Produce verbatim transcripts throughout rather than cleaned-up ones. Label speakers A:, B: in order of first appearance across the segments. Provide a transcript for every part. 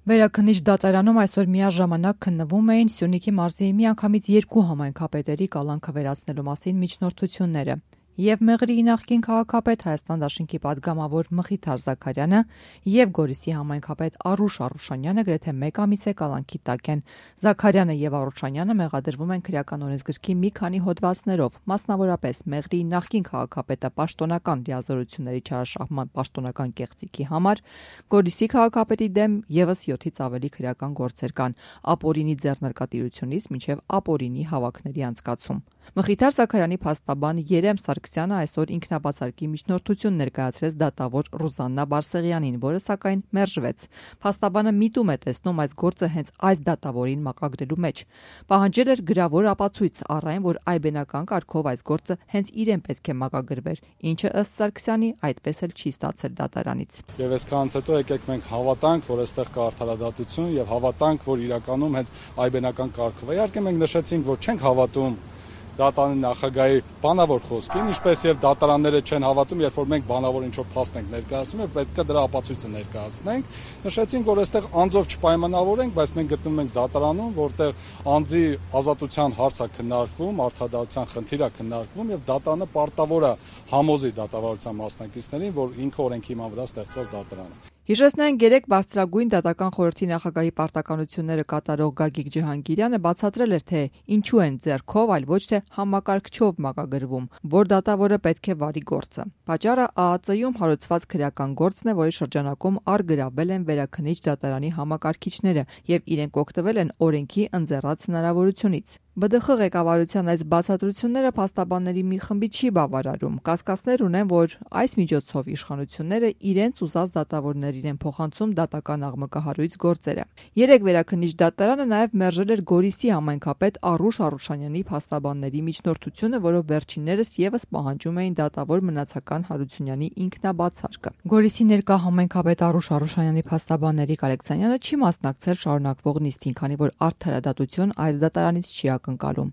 A: Վերաքննիչ դատարանում այսօր միաժամանակ քննվում էին Սյունիքի մարզի միանգամից երկու համայնքապետերի կալանքը վերացնելու մասին միջնորդությունները։ Եվ Մեղրիի նախկին քաղաքապետ Հայաստան դաշնքի պատգամավոր Մխիթար Զաքարյանը և Գորիսի համայնքապետ Արուշ Արուշանյանը գրեթե մեկ ամիս է կալանքի տակ են։ Զաքարյանը և Արուշանյանը մեղադրվում են քրեական օրենսգրքի մի քանի հոդվածներով, մասնավորապես Մեղրիի նախկին քաղաքապետը պաշտոնական լիազորությունների չարաշահման պաշտոնական կեղծիքի համար, Գորիսի քաղաքապետի դեմ ևս յոթից ավելի քրեական գործեր կան, ապօրինի ձեռնարկատիրությունից մինչև ապօրինի հավաքների անցկացում։ Մխիթար Զաքարյանի փաստաբան Երեմ Սարգսյանը այսօր ինքնաբացարկի միջնորդություն ներկայացրեց դատավոր Ռուզաննա Բարսեղյանին, որը սակայն մերժվեց։ Փաստաբանը միտում է տեսնում այս գործը հենց այս դատավորին մակագրելու մեջ։ Պահանջել էր գրավոր ապացույց առ այն, որ այբենական կարգով այս գործը հենց իրեն պետք է մակագրվեր, ինչը ըստ Սարգսյանի այդպես էլ չի ստացել դատարանից։
B: Եվ այսքանից հետո եկեք մենք հավատանք, որ այստեղ կա արդարադատություն եւ հավատանք, որ իրականում հենց այբենական կարգով է։ Իհարկե մենք նշեցինք, որ չենք հավատում դատարանի նախագահի բանավոր խոսքին, ինչպես եւ դատարանները չեն հավատում, երբ որ մենք բանավոր ինչ-որ փաստ ենք ներկայացնում եւ պետք է դրա ապացույցը ներկայացնենք։ Նշեցինք, որ այստեղ անձով չպայմանավորենք, բայց մենք գտնվում ենք դատարանում, որտեղ անձի ազատության հարց է քննարկվում, արդարադատության խնդիր է քննարկվում եւ դատարանը պարտավոր է համոզի դատավարության մասնակիցներին, որ ինքը օրենքի հիման վրա ստեղծված դատարան է։
A: Հիշեցնենք, երեկ բարձրագույն դատական խորհրդի նախագահի պարտականությունները կատարող Գագիկ Ջհանգիրյանը բացատրել էր, թե ինչու են ձեռքով, այլ ոչ թե համակարգչով մակագրվում, որ դատավորը պետք է վարի գործը։ Պատճառը ԱԱԾ-ում հարուցված քրեական գործն է, որի շրջանակում առգրավել են Վերաքննիչ դատարանի համակարգիչները եւ իրենք օգտվել են օրենքի ընձեռած հնարավորությունից։ ԲԴԽ ղեկավարության այս բացատրությունները փաստաբանների մի խմբի չի բավարարում։ Կասկածներ ունեն, որ այս միջոցով իշխանությունները իրենց ուզած դատավորներին են փոխանցում դատական աղմկահարույց գործերը։ Երեկ Վերաքննիչ դատարանը նաև մերժել էր Գորիսի համայնքապետ Արուշ Արուշանյանի փաստաբանների միջնորդությունը, որով վերջիններս ևս պահանջում էին դատավոր Մնացական Հարությունյանի ինքնաբացարկը։ Գորիսի ներկա համայնքապետ Արուշ Արուշանյանի փաստաբան Նարեկ Ալեքսանյանը չի մասնակցել շարունակվող նիստին, քանի որ արդարադատություն այս դատարանից չի ակնկալում։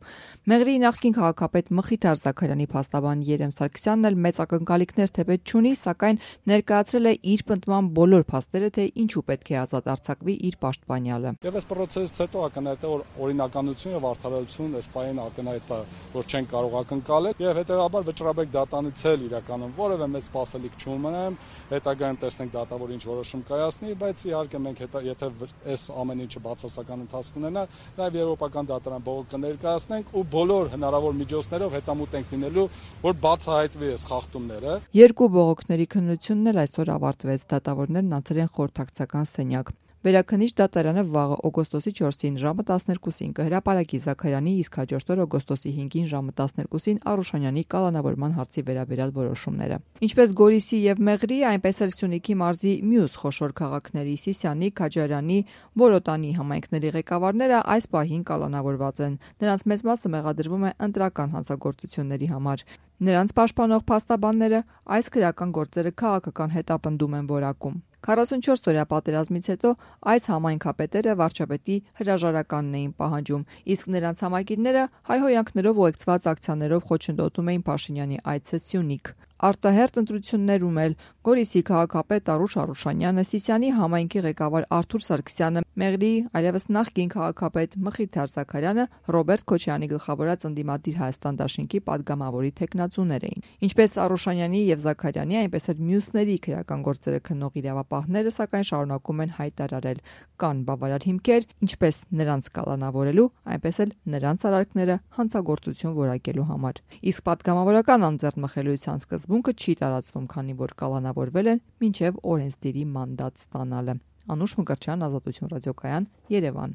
A: Մեղրիի նախկին քաղաքապետ Մխիթար Զաքարյանի փաստաբան Երեմ Սարգսյանն էլ մեծ ակնկալիքներ թեպետ չունի, սակայն ներկայացրել է իր պնդման բոլոր փաստերը, թե ինչու պետք է ազատ արձակվի իր պաշտպանյալը։
B: Եվ այս process-ից հետո ակնհայտ է, որ օրինականություն եւ արդարադատություն այս պահին ակնհայտ է, որ չեն կարող ակնկալել եւ հետեւաբար վճռաբեկ դատանից էլ իրականում որևէ մեծ սպասելիք չունեմ, հետագայում տեսնենք դատավորը ինչ որոշում կայացնի, բայց իհարկե մենք եթե այս ամեն ինչը բացասական ընթացք ունենա, նաեւ եվրոպական դատարան բողոք կներկայացնենք ու բոլոր հնարավոր միջոցներով հետամուտ ենք լինելու, որ բացահայտվի այս խախտումները։
A: Երկու բողոքների քննությունն էլ այսօր ավարտվեց, դատավորներն անցել են խորհրդակցական սենյակ։ Վերաքննիչ դատարանը վաղը օգոստոսի չորսին ժամը տասներկուսին կհրապարակի Զաքարյանի, իսկ հաջորդ օր օգոստոսի հինգին ժամը տասներկուսին Արուշանյանի կալանավորման հարցի վերաբերյալ որոշումները։ Ինչպես Գորիսի եւ Մեղրիի, այնպես էլ Սյունիքի մարզի մյուս խոշոր քաղաքների Սիսիանի, Քաջարյանի, Բորոտանի համայնքների ղեկավարները այս պահին կալանավորված են։ Նրանց մեծ մասը մեղադրվում է ընտրական հանցագործությունների համար։ Նրանց պաշտպանող փաստաբանները այս քրեական գործերը քաղաքական հետապնդում են որակում։ քառասունչորս օրյա պատերազմից հետո այս համայնքապետերը վարչապետի հրաժարականն էին պահանջում, իսկ նրանց համակիրները հայհոյանքներով ու ուղեկցված ակցիաներով խոչընդոտում էին Փաշինյանի այցը Սյունիք։ Արտահերթ ընտրություններում էլ Գորիսի քաղաքապետ Արուշ Արուշանյանը, Սիսիանի համայնքի ղեկավար Արթուր Սարգսյանը, Մեղրիի այլևս նախկին քաղաքապետ Մխիթար Զաքարյանը Ռոբերտ Քոչարյանի գլխավորած ընդդիմադիր Հայաստան դաշնքի падգամավորի թեկնածուներ էին։ Ինչպես Արուշանյանի եւ Զաքարյանի, այնպես էլ մյուսների քրեական գործերը քննող իրավապահները, սակայն շարունակում են հայտարարել, կան բավարար հիմքեր ինչպես նրանց կալանավորելու, այնպես էլ նրանց արարքները հանցագործություն որակելու համար։ Իսկ падգամավորական անձեռնմխելիության սկզբունքը չի տարածվում, քանի որ կալանավորվել են մինչև օրենսդիրի մանդատ ստանալը։ Անուշ Մկրտչյան, Ազատություն ռադիոկայան, Երևան։